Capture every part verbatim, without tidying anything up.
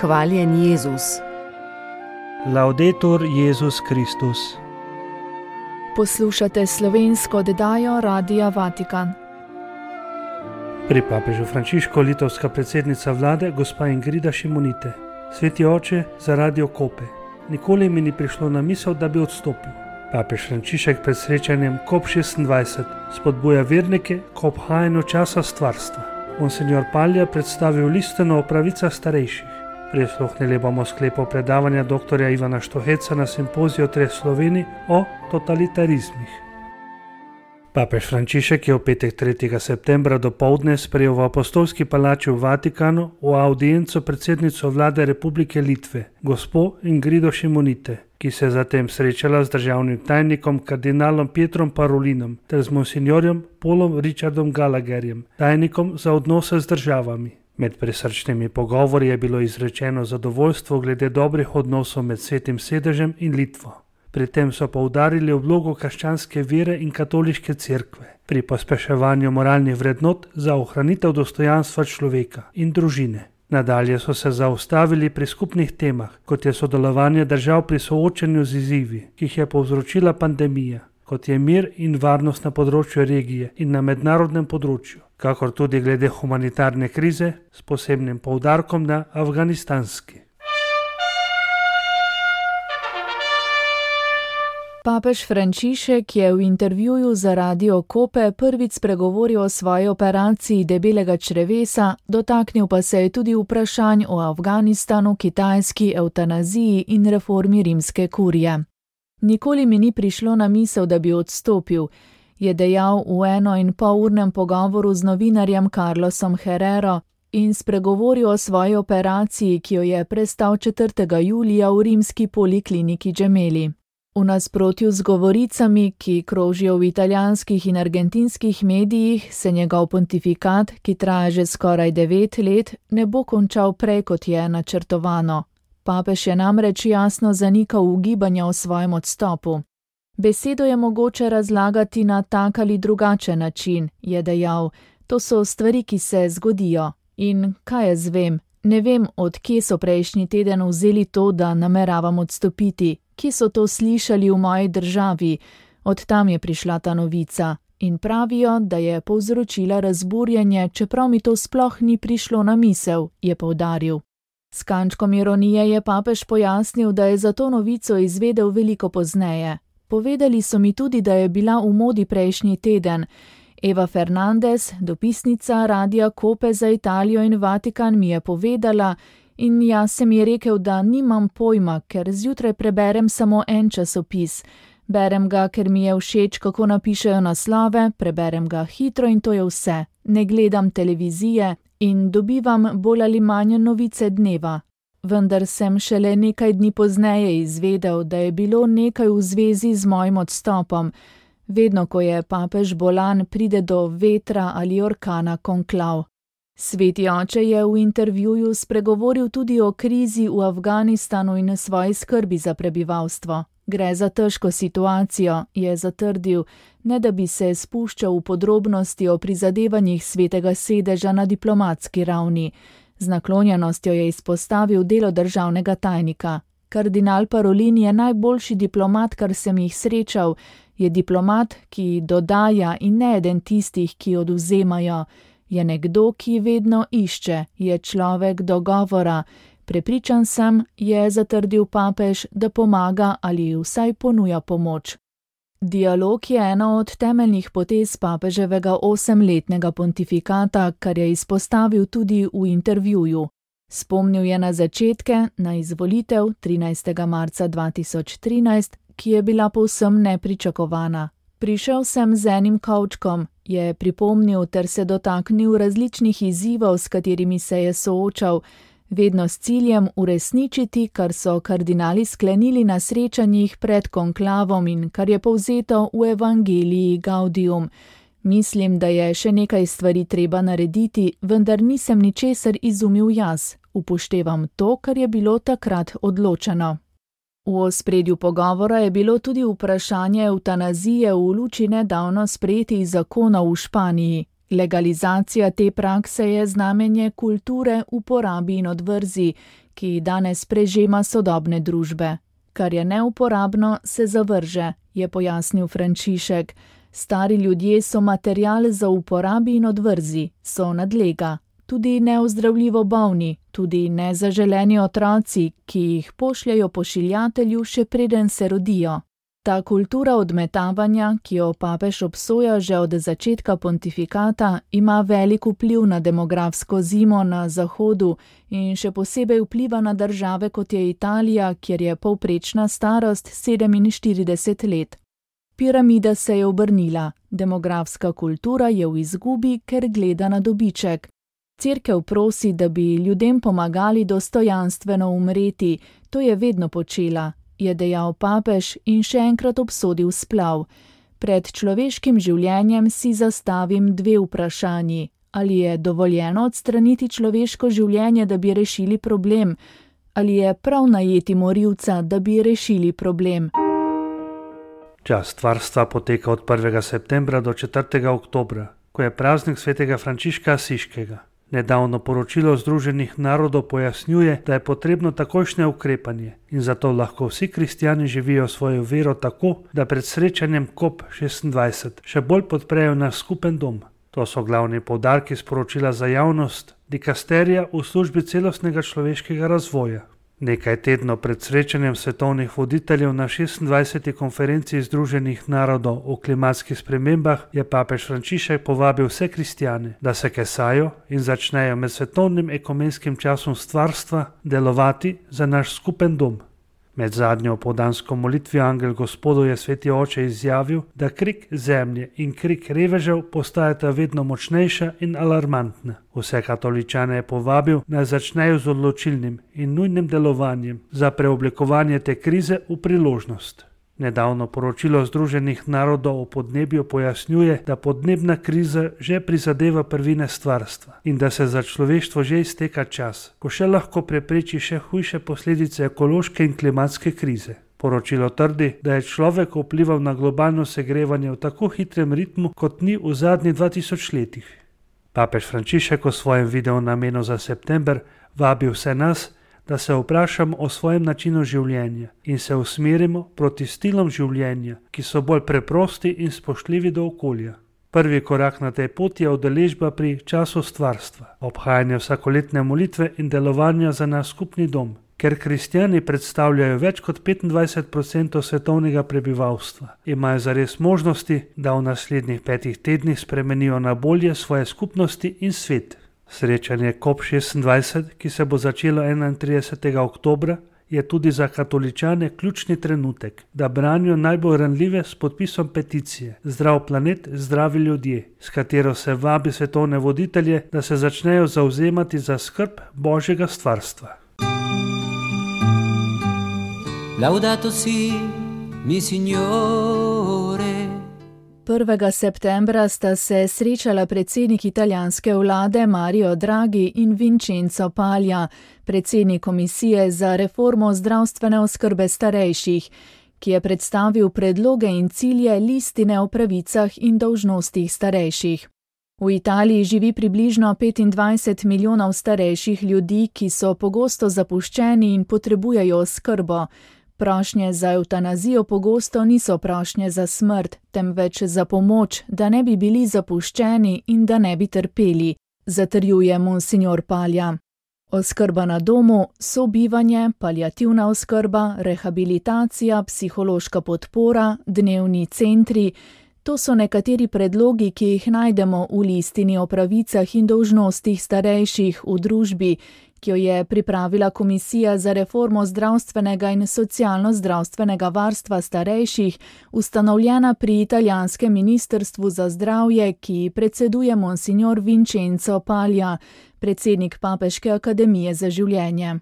Hvaljen Jezus. Laudetur Jezus Kristus. Poslušate slovensko oddajo Radia Vatikan. Pri papežu Frančišku litovska predsednica vlade gospa Ingrida Šimonite. Sveti oče, za Radio Kope. Nikoli mi ni prišlo na misel, da bi odstopil. Papež Frančišek pred srečanjem kop šestindvajset spodbuja vernike k obhajanju časa stvarstva. Monsignor Palja predstavil listino o pravicah starejših. Prisluhnili bomo sklepu predavanja doktorja Ivana Štoheca na simpoziju Treh Slovenij o totalitarizmih. Papež Frančišek je v petek tretjega septembra dopoldne sprejel v apostolski palači v Vatikanu v audienco predsednico vlade Republike Litve, gospo Ingrido Šimonite, ki se je zatem srečala z državnim tajnikom kardinalom Pietrom Parolinom ter z monsignorjem Paulom Richardom Gallagherjem, tajnikom za odnose z državami. Med prisrčnimi pogovori je bilo izrečeno zadovoljstvo glede dobrih odnosov med Svetim sedežem in Litvo. Pri tem so poudarili vlogo krščanske vere in katoliške cerkve pri pospeševanju moralnih vrednot za ohranitev dostojanstva človeka in družine. Nadalje so se zaustavili pri skupnih temah, kot je sodelovanje držav pri soočanju z izzivi, ki jih je povzročila pandemija, kot je mir in varnost na področju regije in na mednarodnem področju, kakor tudi glede humanitarne krize s posebnim poudarkom na afganistanski. Papež Frančišek je v intervjuju za Radio Kope prvič spregovoril o svoji operaciji debelega črevesa, dotaknil pa se je tudi vprašanj o Afganistanu, kitajski evtanaziji in reformi rimske kurije. Nikoli mi ni prišlo na misel, da bi odstopil, je dejal v eno in pol urnem pogovoru z novinarjem Carlosom Herrero in spregovoril o svoji operaciji, ki jo je prestal četrtega julija v rimski polikliniki Gemelli. V nasprotju z govoricami, ki krožijo v italijanskih in argentinskih medijih, se njegov pontifikat, ki traja že skoraj devet let, ne bo končal prej, kot je načrtovano. Papež je namreč jasno zanikal ugibanja o svojem odstopu. Besedo je mogoče razlagati na tak ali drugačen način, je dejal. To so stvari, ki se zgodijo. In kaj jaz vem? Ne vem, od kje so prejšnji teden vzeli to, da nameravam odstopiti. Kje so to slišali v moji državi? Od tam je prišla ta novica. In pravijo, da je povzročila razburjenje, čeprav mi to sploh ni prišlo na misel, je poudaril. S kančkom ironije je papež pojasnil, da je za to novico izvedel veliko pozneje. Povedali so mi tudi, da je bila v modi prejšnji teden. Eva Fernandez, dopisnica Radia Kope za Italijo in Vatikan, mi je povedala in jaz sem ji rekel, da nimam pojma, ker zjutraj preberem samo en časopis. Berem ga, ker mi je všeč, kako napišejo naslove, preberem ga hitro in to je vse. Ne gledam televizije in dobivam bolj ali manj novice dneva. Vendar sem šele nekaj dni pozneje izvedel, da je bilo nekaj v zvezi z mojim odstopom. Vedno, ko je papež bolan, pride do vetra ali orkana konklav. Sveti oče je v intervjuju spregovoril tudi o krizi v Afganistanu in svoji skrbi za prebivalstvo. Gre za težko situacijo, je zatrdil, ne da bi se spuščal v podrobnosti o prizadevanjih Svetega sedeža na diplomatski ravni. Z naklonjenostjo je izpostavil delo državnega tajnika. Kardinal Parolin je najboljši diplomat, kar sem jih srečal, je diplomat, ki dodaja in ne eden tistih, ki odvzemajo. Je nekdo, ki vedno išče, je človek dogovora. Prepričan sem, je zatrdil papež, da pomaga ali vsaj ponuja pomoč. Dialog je ena od temeljnih potez papeževega osemletnega pontifikata, kar je izpostavil tudi v intervjuju. Spomnil je na začetke, na izvolitev trinajstega marca dva tisoč trinajst, ki je bila povsem nepričakovana. Prišel sem z enim kovčkom, je pripomnil ter se dotaknil različnih izzivov, s katerimi se je soočal, vedno s ciljem uresničiti, kar so kardinali sklenili na srečanjih pred konklavom in kar je povzeto v Evangeliji Gaudium. Mislim, da je še nekaj stvari treba narediti, vendar nisem ničesar izumil jaz. Upoštevam to, kar je bilo takrat odločeno. V ospredju pogovora je bilo tudi vprašanje evtanazije v luči nedavno sprejetih zakonov v Španiji. Legalizacija te prakse je znamenje kulture uporabi in odvrzi, ki danes prežema sodobne družbe. Kar je neuporabno, se zavrže, je pojasnil Frančišek. Stari ljudje so material za uporabi in odvrzi, so nadlega. Tudi neozdravljivo bolni, tudi nezaželeni otroci, ki jih pošljajo pošiljatelju, še preden se rodijo. Ta kultura odmetavanja, ki jo papež obsoja že od začetka pontifikata, ima velik vpliv na demografsko zimo na Zahodu in še posebej vpliva na države, kot je Italija, kjer je povprečna starost sedeminštirideset let. Piramida se je obrnila, demografska kultura je v izgubi, ker gleda na dobiček. Cerkev prosi, da bi ljudem pomagali dostojanstveno umreti, to je vedno počela, je dejal papež in še enkrat obsodil splav. Pred človeškim življenjem si zastavim dve vprašanji. Ali je dovoljeno odstraniti človeško življenje, da bi rešili problem? Ali je prav najeti morilca, da bi rešili problem? Čas stvarstva poteka od prvega septembra do četrtega oktobra, ko je praznik svetega Frančiška Asiškega. Nedavno poročilo Združenih narodov pojasnjuje, da je potrebno takojšnje ukrepanje in zato lahko vsi kristjani živijo svojo vero tako, da pred srečanjem COP šestindvajset še bolj podprejo naš skupen dom. To so glavni poudarki sporočila za javnost dikasterija v službi celostnega človeškega razvoja. Nekaj tednov pred srečanjem svetovnih voditeljev na šestindvajseti konferenciji Združenih narodov o klimatskih spremembah je papež Frančišek povabil vse kristjane, da se kesajo in začnejo med svetovnim ekumenskim časom stvarstva delovati za naš skupen dom. Med zadnjo opoldansko molitvijo Angel Gospodu je sveti oče izjavil, da krik zemlje in krik revežev postajata vedno močnejša in alarmantna. Vse katoličane je povabil, naj začnejo z odločilnim in nujnim delovanjem za preoblikovanje te krize v priložnost. Nedavno poročilo Združenih narodov o podnebju pojasnjuje, da podnebna kriza že prizadeva prvine stvarstva in da se za človeštvo že izteka čas, ko še lahko prepreči še hujše posledice ekološke in klimatske krize. Poročilo trdi, da je človek vplival na globalno segrevanje v tako hitrem ritmu, kot ni v zadnjih dva tisoč letih. Papež Frančišek v svojem videu namenu za september vabi vse nas, da se vprašamo o svojem načinu življenja in se usmerimo proti stilom življenja, ki so bolj preprosti in spoštljivi do okolja. Prvi korak na tej poti je udeležba pri času stvarstva, obhajanje vsakoletne molitve in delovanja za naš skupni dom. Ker kristjani predstavljajo več kot petindvajset procentov svetovnega prebivalstva, imajo zares možnosti, da v naslednjih petih tednih spremenijo na bolje svoje skupnosti in svet. Srečanje COP šestindvajset, ki se bo začelo enaintridesetega oktobra, je tudi za katoličane ključni trenutek, da branijo najbolj ranljive s podpisom peticije Zdrav planet, zdravi ljudje, s katero se vabi svetovne voditelje, da se začnejo zavzemati za skrb Božjega stvarstva. Laudato si, mi signore. prvega septembra sta se srečala predsednik italijanske vlade Mario Draghi in Vincenzo Paglia, predsednik komisije za reformo zdravstvene oskrbe starejših, ki je predstavil predloge in cilje listine o pravicah in dolžnostih starejših. V Italiji živi približno petindvajset milijonov starejših ljudi, ki so pogosto zapuščeni in potrebujejo oskrbo. Prošnje za evtanazijo pogosto niso prošnje za smrt, temveč za pomoč, da ne bi bili zapuščeni in da ne bi trpeli, zatrjuje monsignor Paglia. Oskrba na domu, sobivanje, paliativna oskrba, rehabilitacija, psihološka podpora, dnevni centri, to so nekateri predlogi, ki jih najdemo v listini o pravicah in dolžnostih starejših v družbi, ki jo je pripravila Komisija za reformo zdravstvenega in socialno-zdravstvenega varstva starejših, ustanovljena pri italijanskem ministrstvu za zdravje, ki predseduje monsignor Vincenzo Paglia, predsednik Papeške akademije za življenje.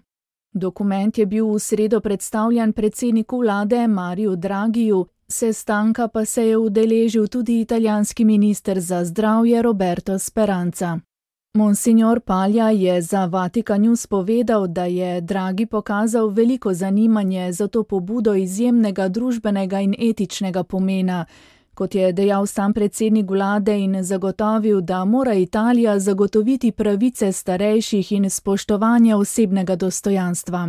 Dokument je bil v sredo predstavljen predsedniku vlade Mariu Draghiju, sestanka pa se je udeležil tudi italijanski minister za zdravje Roberto Speranza. Monsignor Paglia je za Vatikan News povedal, da je Draghi pokazal veliko zanimanje za to pobudo izjemnega družbenega in etičnega pomena. Kot je dejal sam predsednik vlade in zagotovil, da mora Italija zagotoviti pravice starejših in spoštovanje osebnega dostojanstva.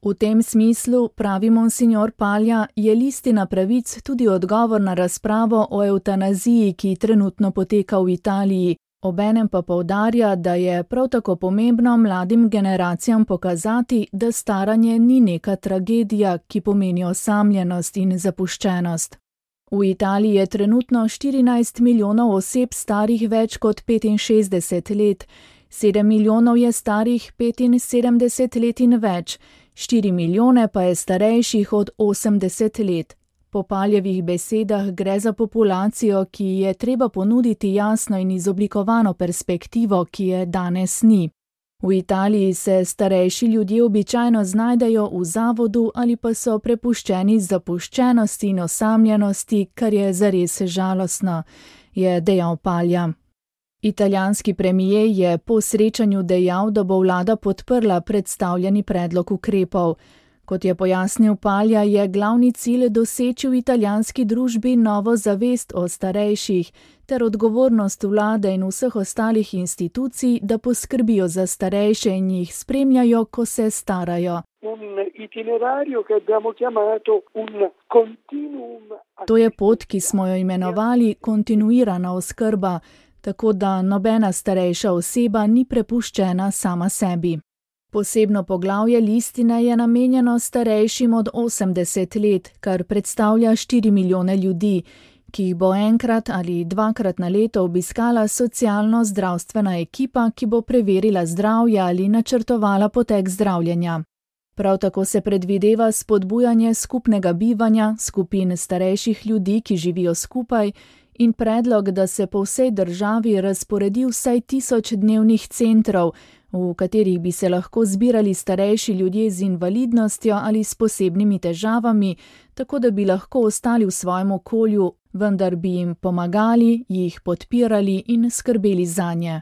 V tem smislu, pravi monsignor Palja, je listina pravic tudi odgovor na razpravo o evtanaziji, ki trenutno poteka v Italiji, obenem pa poudarja, da je prav tako pomembno mladim generacijam pokazati, da staranje ni neka tragedija, ki pomeni osamljenost in zapuščenost. V Italiji je trenutno štirinajst milijonov oseb starih več kot petinšestdeset let, sedem milijonov je starih petinsedemdeset let in več, štiri milijone pa je starejših od osemdeset let. Po Paljevih besedah gre za populacijo, ki je treba ponuditi jasno in izoblikovano perspektivo, ki je danes ni. V Italiji se starejši ljudje običajno znajdejo v zavodu ali pa so prepuščeni zapuščenosti in osamljenosti, kar je zares žalostno, je dejal Palja. Italijanski premijer je po srečanju dejal, da bo vlada podprla predstavljeni predlog ukrepov. Kot je pojasnil Palja, je glavni cilj doseči v italijanski družbi novo zavest o starejših ter odgovornost vlade in vseh ostalih institucij, da poskrbijo za starejše in jih spremljajo, ko se starajo. To je pot, ki smo jo imenovali kontinuirana oskrba, tako da nobena starejša oseba ni prepuščena sama sebi. Posebno poglavje listine je namenjeno starejšim od osemdeset let, kar predstavlja štiri milijone ljudi, ki jih bo enkrat ali dvakrat na leto obiskala socialno-zdravstvena ekipa, ki bo preverila zdravje ali načrtovala potek zdravljenja. Prav tako se predvideva spodbujanje skupnega bivanja, skupin starejših ljudi, ki živijo skupaj, in predlog, da se po vsej državi razporedi vsaj tisoč dnevnih centrov, v katerih bi se lahko zbirali starejši ljudje z invalidnostjo ali s posebnimi težavami, tako da bi lahko ostali v svojem okolju, vendar bi jim pomagali, jih podpirali in skrbeli zanje.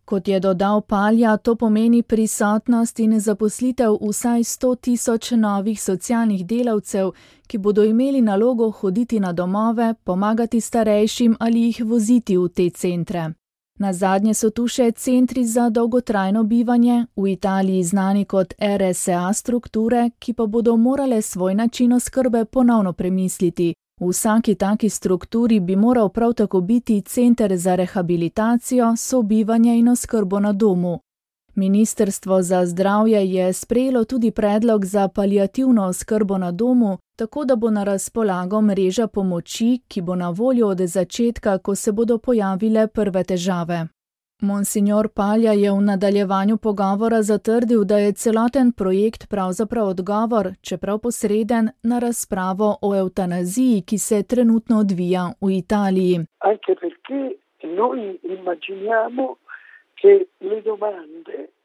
Kot je dodal Palja, to pomeni prisotnost in zaposlitev vsaj sto tisoč novih socialnih delavcev, ki bodo imeli nalogo hoditi na domove, pomagati starejšim ali jih voziti v te centre. Nazadnje so tu še centri za dolgotrajno bivanje, v Italiji znani kot R S A strukture, ki pa bodo morale svoj način oskrbe ponovno premisliti. V vsaki taki strukturi bi moral prav tako biti center za rehabilitacijo, sobivanje in oskrbo na domu. Ministrstvo za zdravje je sprejelo tudi predlog za paliativno oskrbo na domu, tako da bo na razpolago mreža pomoči, ki bo na voljo od začetka, ko se bodo pojavile prve težave. Monsignor Palja je v nadaljevanju pogovora zatrdil, da je celoten projekt pravzaprav odgovor, čeprav posreden, na razpravo o evtanaziji, ki se trenutno odvija v Italiji.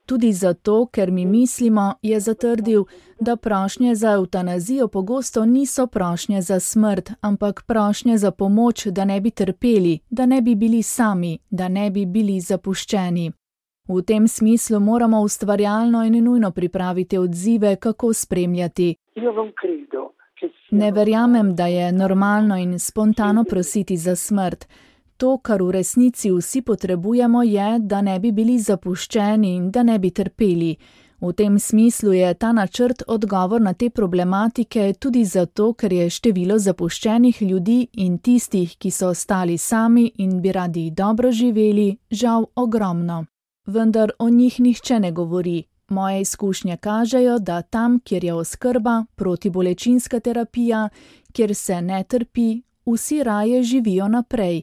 Tudi zato, ker mi mislimo, je zatrdil, da prošnje za evtanazijo pogosto niso prošnje za smrt, ampak prošnje za pomoč, da ne bi trpeli, da ne bi bili sami, da ne bi bili zapuščeni. V tem smislu moramo ustvarjalno in nujno pripraviti odzive, kako spremljati. Ne verjamem, da je normalno in spontano prositi za smrt. To, kar v resnici vsi potrebujemo, je, da ne bi bili zapuščeni in da ne bi trpeli. V tem smislu je ta načrt odgovor na te problematike tudi zato, ker je število zapuščenih ljudi in tistih, ki so ostali sami in bi radi dobro živeli, žal ogromno. Vendar o njih nihče ne govori. Moje izkušnje kažejo, da tam, kjer je oskrba, protibolečinska terapija, kjer se ne trpi, vsi raje živijo naprej.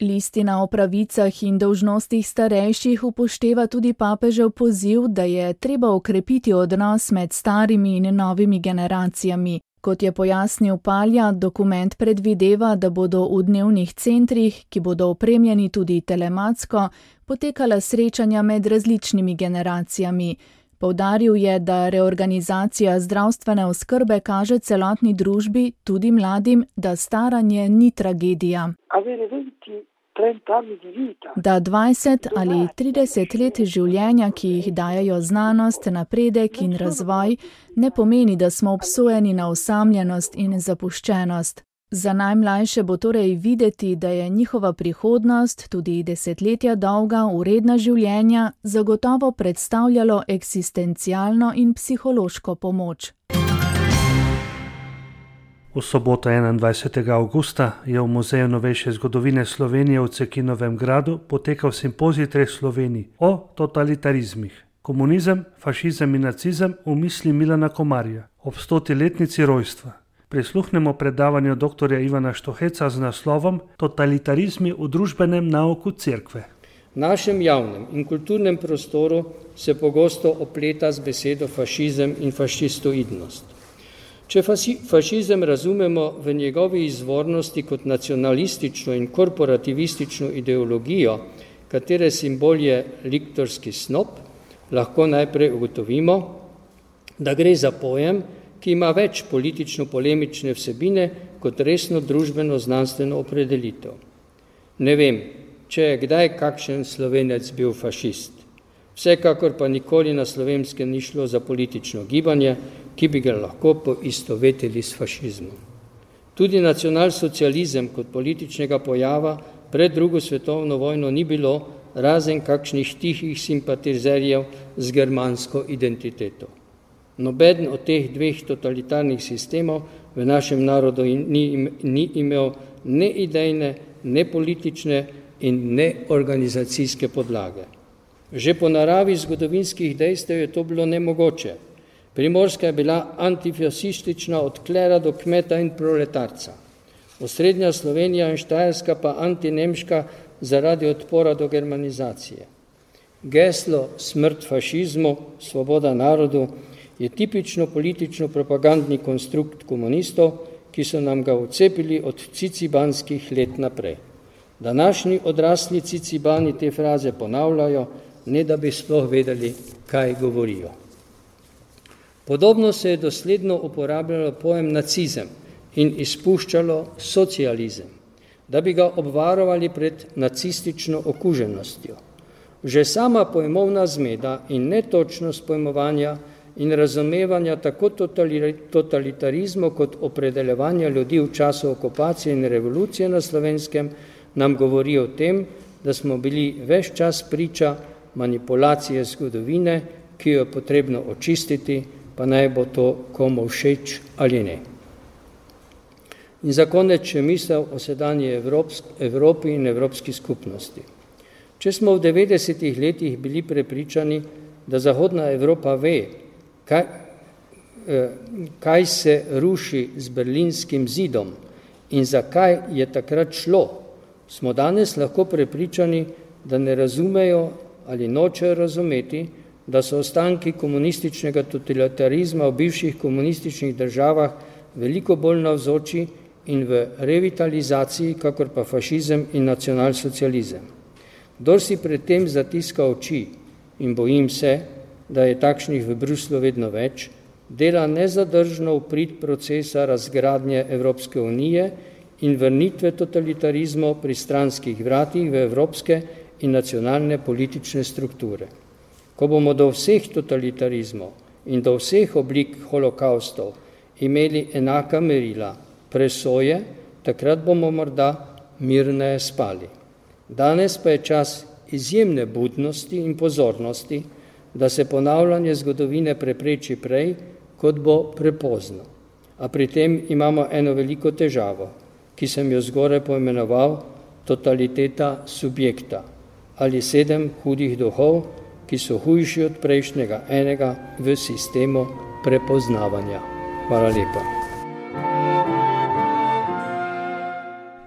Listina o pravicah in dolžnostih starejših upošteva tudi papežev poziv, da je treba okrepiti odnos med starimi in novimi generacijami. Kot je pojasnil Palja, dokument predvideva, da bodo v dnevnih centrih, ki bodo opremljeni tudi telematsko, potekala srečanja med različnimi generacijami. Poudaril je, da reorganizacija zdravstvene oskrbe kaže celotni družbi, tudi mladim, da staranje ni tragedija. Da dvajset ali trideset let življenja, ki jih dajajo znanost, napredek in razvoj, ne pomeni, da smo obsojeni na osamljenost in zapuščenost. Za najmlajše bo torej videti, da je njihova prihodnost, tudi desetletja dolga, vredna življenja, zagotovo predstavljalo eksistencialno in psihološko pomoč. V soboto enaindvajsetega avgusta je v Muzeju novejše zgodovine Slovenije v Cekinovem gradu potekal simpozij treh Slovenij o totalitarizmih. Komunizem, fašizem in nacizem v misli Milana Komarja ob stoti letnici rojstva. Prisluhnemo predavanju doktorja Ivana Štoheca z naslovom Totalitarizmi v družbenem nauku cerkve. V našem javnem in kulturnem prostoru se pogosto opleta z besedo fašizem in fašistoidnost. Če fašizem razumemo v njegovi izvornosti kot nacionalistično in korporativistično ideologijo, katere simbol je liktorski snop, lahko najprej ugotovimo, da gre za pojem, ki ima več politično-polemične vsebine kot resno družbeno-znanstveno opredelitev. Ne vem, če je kdaj kakšen Slovenec bil fašist. Vsekakor pa nikoli na Slovenskem ni šlo za politično gibanje, ki bi ga lahko poistovetili s fašizmom. Tudi nacionalsocializem kot političnega pojava pred drugo svetovno vojno ni bilo, razen kakšnih tihih simpatizerjev z germansko identiteto. Nobeden od teh dveh totalitarnih sistemov v našem narodu ni, ni imel ne idejne, ne politične in ne organizacijske podlage. Že po naravi zgodovinskih dejstev je to bilo nemogoče. Primorska je bila antifasistična od klera do kmeta in proletarca. Osrednja Slovenija in Štajerska pa antinemška zaradi odpora do germanizacije. Geslo smrt fašizmu, svoboda narodu je tipično politično-propagandni konstrukt komunistov, ki so nam ga vcepili od cicibanskih let naprej. Današnji odrasli cicibani te fraze ponavljajo, ne da bi sploh vedeli, kaj govorijo. Podobno se je dosledno uporabljalo pojem nacizem in izpuščalo socializem, da bi ga obvarovali pred nacistično okuženostjo. Že sama pojmovna zmeda in netočnost pojmovanja in razumevanja tako totalitarizmu kot opredeljevanja ljudi v času okupacije in revolucije na Slovenskem nam govori o tem, da smo bili ves čas priča manipulacije zgodovine, ki jo je potrebno očistiti, pa naj bo to komu všeč ali ne. In za konec še misel o sedanji Evropi in evropski skupnosti. Če smo v devetdesetih letih bili prepričani, da Zahodna Evropa ve, kaj, kaj se ruši z berlinskim zidom in zakaj je takrat šlo, smo danes lahko prepričani, da ne razumejo ali nočejo razumeti, da so ostanki komunističnega totalitarizma v bivših komunističnih državah veliko bolj navzoči in v revitalizaciji, kakor pa fašizem in nacionalsocializem. Kdor si pred tem zatiska oči, in bojim se, da je takšnih v Bruslu vedno več, dela nezadržno v prid procesa razgradnje Evropske unije in vrnitve totalitarizmov pri stranskih vratih v evropske in nacionalne politične strukture. Ko bomo do vseh totalitarizmov in do vseh oblik holokaustov imeli enaka merila, presoje, takrat bomo morda mirneje spali. Danes pa je čas izjemne budnosti in pozornosti, da se ponavljanje zgodovine prepreči prej, kot bo prepozno. A pri tem imamo eno veliko težavo, ki sem jo zgoraj poimenoval totaliteta subjekta ali sedem hudih duhov, ki so hujši od prejšnjega enega v sistemu prepoznavanja. Hvala lepa.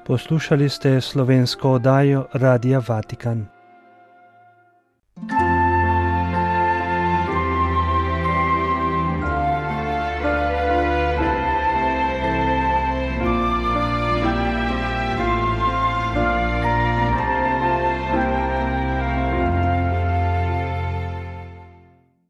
Poslušali ste slovensko oddajo Radia Vatikan.